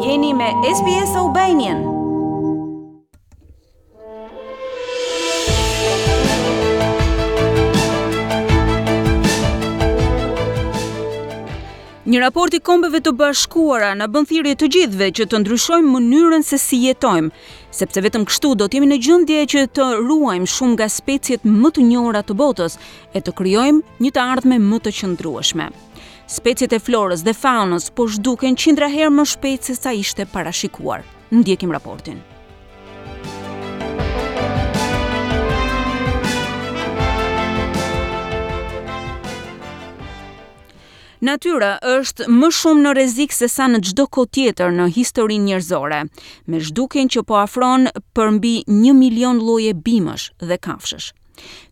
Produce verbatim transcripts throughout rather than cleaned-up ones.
Jeni me S B S Albanian. Një raport i Kombeve të Bashkuara na bën thirrje të gjithëve që të ndryshojmë mënyrën se si jetojmë, sepse vetëm kështu do të jemi në gjendje që të ruajmë shumë nga speciet më të njohura të botës e të krijojmë një të ardhme më të qëndrueshme. Speciet e florës dhe faunës po zhduken qindra herë më shpejt se sa ishte parashikuar. Ndjekim raportin. Natyra është më shumë në rrezik se sa në çdo kohë tjetër në historinë njerëzore, me zhdukjen që po afron për mbi një milion lloje bimësh dhe kafshësh.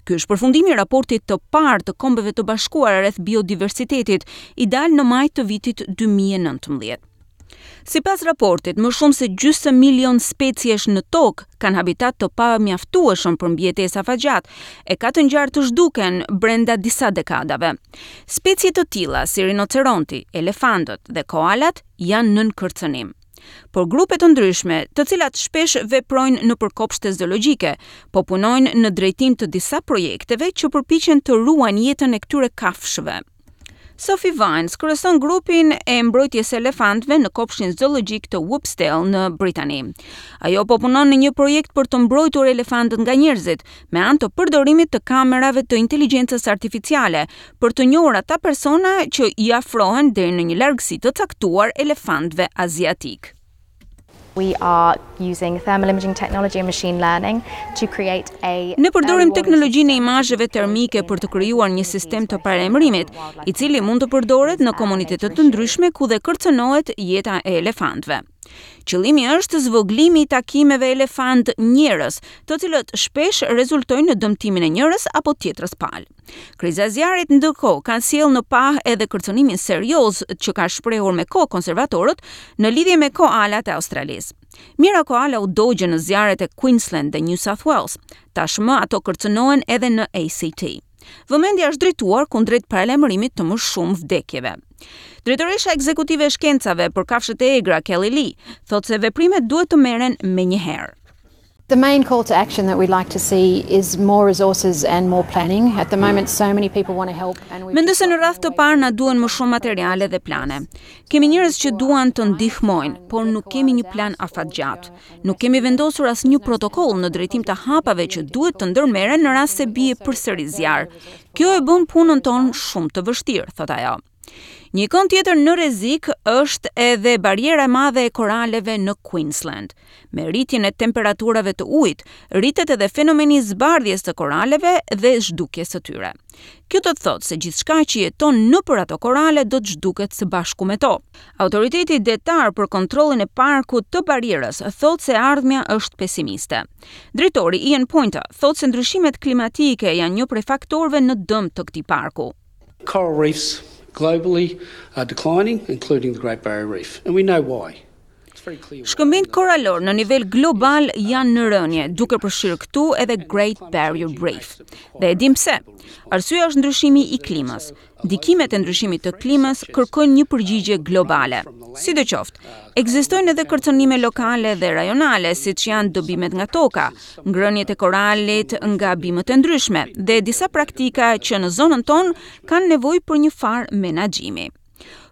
Ky është përfundimi i raportit të parë të Kombeve të Bashkuara rreth biodiversitetit, i dalë në maj të vitit dy mijë e nëntëmbëdhjetë. Sipas raportit, më shumë se gjysmë milion speciesh në tokë kanë habitat të pamjaftueshëm për mbijetesë afatgjatë e ka të ngjarë të zhduken brenda disa dekadave. Specie të tilla si rinoceronti, elefantët dhe koalat janë nën kërcënim. Por grupe të ndryshme, të cilat shpesh veprojnë nëpër kopshte zoologjike, po punojnë në drejtim të disa projekteve që përpiqen të ruajnë jetën e këtyre kafshëve. Sophie Vines kryeson grupin e mbrojtjes së elefantëve në kopshtin zoologjik të Whopesdale në Britani. Ajo po punon në një projekt për të mbrojtur elefantët nga njerëzit me anë të përdorimit të kamerave të inteligjencës artificiale për të njohur ata persona që i afrohen deri në një largësi të caktuar elefantëve aziatik. We are using thermal imaging technology and machine learning to create a Ne përdorim teknologjinë e imazheve termike për të krijuar një sistem të paralajmërimit, i cili mund të përdoret në komunitete të ndryshme ku dhe kërcënohet jeta e elefantëve. Qëllimi është zvoglimi i takimeve elefant njerëz, të cilët shpesh rezultojnë në dëmtimin e njërës apo tjetrës palë. Kriza e zjarrit ndërkohë kanë sjellë në pah edhe kërcënimin serioz që ka shprehur me kohë konservatorët në lidhje me koalat e Australisë. Mijëra koala u dogjën në zjarret e Queensland dhe New South Wales. Tashmë ato kërcënohen edhe në A C T. Vëmendja është drejtuar kundrejt paralajmërimit të më shumë vdekjeve. Drejtoresha ekzekutive e shkencave për kafshët e egra, Kelly Lee, thotë se veprimet duhet të merren menjëherë. The main call to action that we'd like to see is more resources and more planning. At the moment, so many people want to help and we Mendoj se në radhë të parë na duhen më shumë materiale dhe plane. Kemi njerëz që duan të ndihmojnë, por nuk kemi një plan afatgjatë. Nuk kemi vendosur asnjë protokoll në drejtim të hapave që duhet të ndërmerren në rast se bie përsëri zjarr. Kjo e bën punën tonë shumë të vështirë, thotë ajo. Një ikonë tjetër në rrezik është edhe barriera e madhe e koraleve në Queensland. Me rritjen e temperaturave të ujit, rritet edhe fenomeni i zbardhjes së koraleve dhe zhdukjes së tyre. Kjo do të thotë se gjithçka që jeton nëpër ato korale do të zhduket së bashku me to. Autoriteti detar për kontrollin e parkut të barrierës thotë se ardhmja është pesimiste. Drejtori Ian Poynter thotë se ndryshimet klimatike janë një prej faktorëve në dëm të këtij parku. Coral reefs globally are declining, including the Great Barrier Reef, and we know why. It's very clear why. Shkëmbinjtë koralor në nivel global janë në rënje, duke përfshirë këtu edhe Great Barrier Reef. Dhe e dim pse. Arsyeja është ndryshimi i klimës. Ndikimet e ndryshimit të klimës kërkojnë një përgjigje globale. Sidoqoftë, ekzistojnë edhe kërcënime lokale dhe rajonale, siç janë dëbimet nga toka, ngrëniet e koralit nga bimët e ndryshme dhe disa praktika që në zonën tonë kanë nevojë për një farë menaxhimi.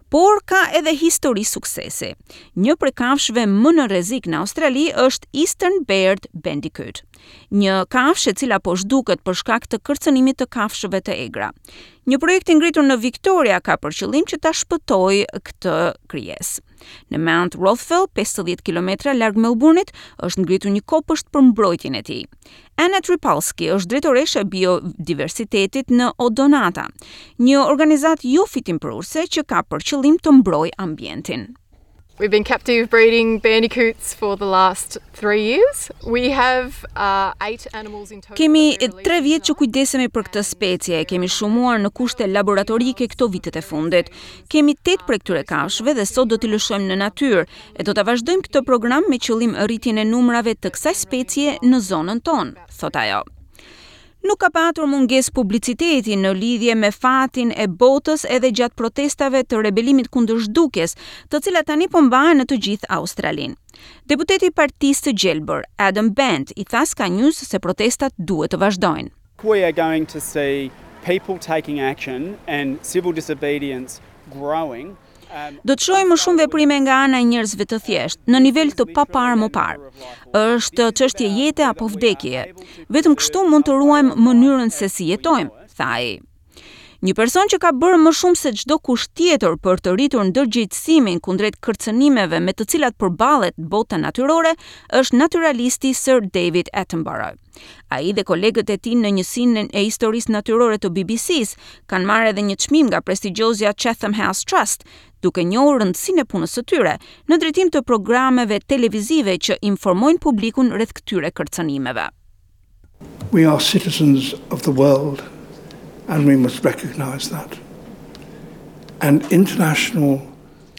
Por ka edhe histori suksesi. Një prej kafshëve më në rrezik në Australi është Eastern Barred Bandicoot, një kafshë e cila po zhduket për shkak të kërcënimit të kafshëve të egra. Një projekt i ngritur në Victoria ka për qëllim që ta shpëtojë këtë krijesë. Në Mount Rothwell, pesëdhjetë kilometra larg Melbourne-it, është ngritur një kopësht për mbrojtjen e tij. Anna Tripolsky është drejtoresha e biodiversitetit në Odonata, një organizatë jo fitimprurëse që ka për qëllim të mbrojë ambientin. We've been captive breeding bandicoots for the last three years. We have uh, eight animals in total. Kemi tre vjet që kujdesemi për këtë specie, e kemi shumuar në kushte laboratorike këto vitet e fundit. Kemi tetë prej këtyre kafshëve dhe sot do t'i lëshojmë në natyrë, e do ta vazhdojmë këtë program me qëllim rritjen e numrave të kësaj specie në zonën tonë, thot ajo. Nuk ka patur mungesë publiciteti në lidhje me fatin e botës edhe gjatë protestave të rebelimit kundër zhdukjes, të cilat tani po mbahen në të gjithë Australinë. Deputeti i Partisë së Gjelbër, Adam Bandt, i tha Sky News se protestat duhet të vazhdojnë. We are going to see people taking action and civil disobedience growing. Do të shohim më shumë veprime nga ana e njerëzve të thjeshtë, në nivel të paparë më parë. Është çështje jete apo vdekjeje. Vetëm kështu mund të ruajmë mënyrën se si jetojmë, tha ai. Një person që ka bërë më shumë se çdo kush tjetër për të rritur ndërgjegjësimin kundrejt kërcënimeve me të cilat përballet bota natyrore është naturalisti Sir David Attenborough. Ai dhe kolegët e tij në njësinë e historisë natyrore të B B C-s kanë marrë edhe një çmim nga prestigjiozja Chatham House Trust, duke njohur rëndësinë e punës së tyre në drejtim të programeve televizive që informojnë publikun rreth këtyre kërcënimeve. We are citizens of the world and we must recognize that. And international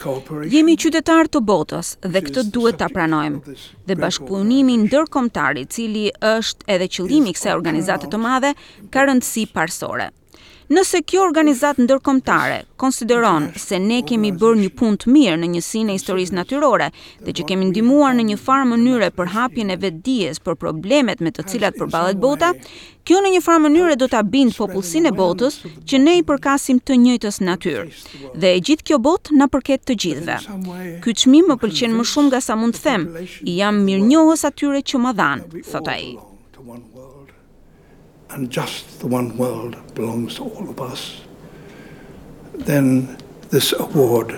cooperation Jemi qytetar të botës dhe këtë duhet ta pranojmë. Dhe bashkëpunimi ndërkombëtar, i cili është edhe qëllimi i kësaj organizate të madhe, ka rëndësi parësore. Nëse kjo organizatë ndërkombëtare konsideron se ne kemi bërë një punë të mirë në njësinë e historisë natyrore dhe që kemi ndihmuar në një farë mënyre për hapjen e vetëdijes për problemet me të cilat përballet bota, kjo në një farë mënyre do ta bind popullsinë e botës që ne i përkasim të njëjtës natyrë. Dhe e gjithë kjo botë na përket të gjithëve. Ky çmim më pëlqen më shumë nga sa mund të them. I jam mirënjohës atyre që ma dhanë, thot ai. And just the one world belongs to all of us, then this award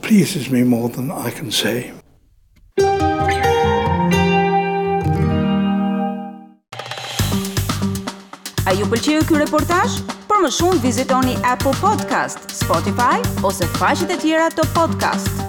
pleases me more than I can say. A ju pëlqeu ky reportazh? Për më shumë vizitoni Apple Podcast, Spotify ose faqet e tjera të podcast.